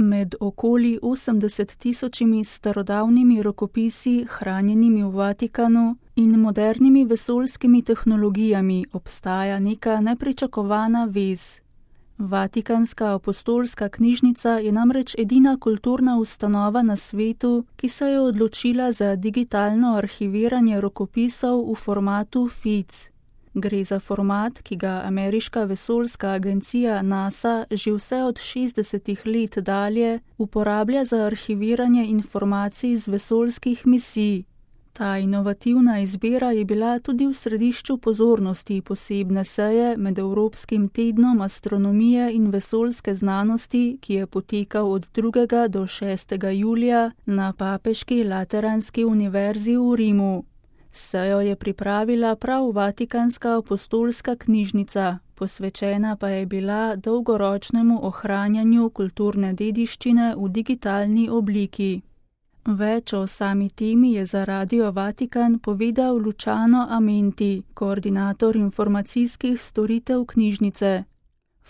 Med okoli 80 tisočimi starodavnimi rokopisi, hranjenimi v Vatikanu, in modernimi vesoljskimi tehnologijami obstaja neka nepričakovana vez. Vatikanska apostolska knjižnica je namreč edina kulturna ustanova na svetu, ki se je odločila za digitalno arhiviranje rokopisov v formatu FIC. Gre za format, ki ga ameriška vesoljska agencija NASA že vse od 60 let dalje uporablja za arhiviranje informacij z vesoljskih misij. Ta inovativna izbira je bila tudi v središču pozornosti posebne seje med Evropskim tednom astronomije in vesoljske znanosti, ki je potekal od 2. do 6. julija na Papeški Lateranski univerzi v Rimu. Sejo je pripravila prav Vatikanska apostolska knjižnica, posvečena pa je bila dolgoročnemu ohranjanju kulturne dediščine v digitalni obliki. Več o sami temi je za Radio Vatikan povedal Luciano Amenti, koordinator informacijskih storitev knjižnice.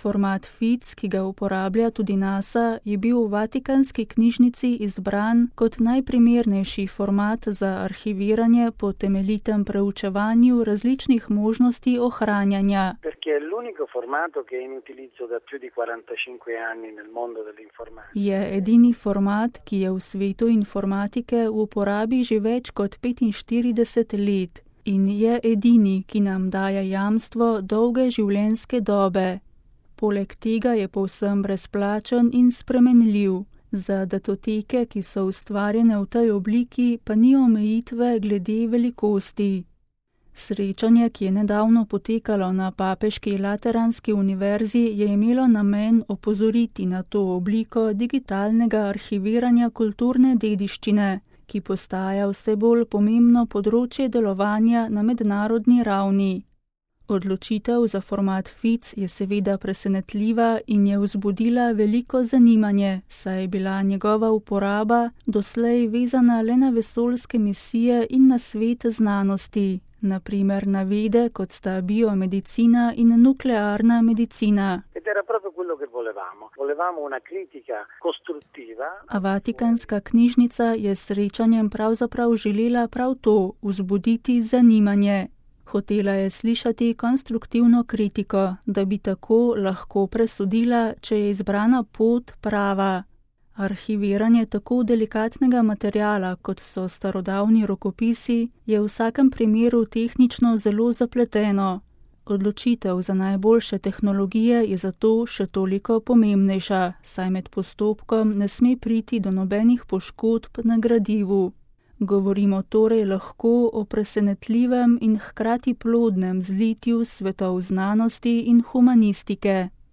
Format FIC, ki ga uporablja tudi NASA, je bil v Vatikanski knjižnici izbran kot najprimernejši format za arhiviranje po temeljitem preučevanju različnih možnosti ohranjanja. Je edini format, ki je v svetu informatike v uporabi že več kot 45 let in je edini, ki nam daje jamstvo dolge življenjske dobe. Poleg tega je povsem brezplačen in spremenljiv. Za datoteke, ki so ustvarjene v tej obliki, pa ni omejitve glede velikosti. Srečanje, ki je nedavno potekalo na Papeški Lateranski univerzi, je imelo namen opozoriti na to obliko digitalnega arhiviranja kulturne dediščine, ki postaja vse bolj pomembno področje delovanja na mednarodni ravni. Odločitev za format FIC je seveda presenetljiva in je vzbudila veliko zanimanje, saj je bila njegova uporaba doslej vezana le na vesoljske misije in na svet znanosti, na primer na vede, kot sta biomedicina in nuklearna medicina. A Vatikanska knjižnica je s srečanjem pravzaprav želela prav to, vzbuditi zanimanje. Hotela je slišati konstruktivno kritiko, da bi tako lahko presodila, če je izbrana pot prava. Arhiviranje tako delikatnega materiala, kot so starodavni rokopisi, je v vsakem primeru tehnično zelo zapleteno. Odločitev za najboljše tehnologije je zato še toliko pomembnejša, saj med postopkom ne sme priti do nobenih poškodb na gradivu. Govorimo torej lahko o presenetljivem in hkrati plodnem zlitju svetov znanosti in humanistike.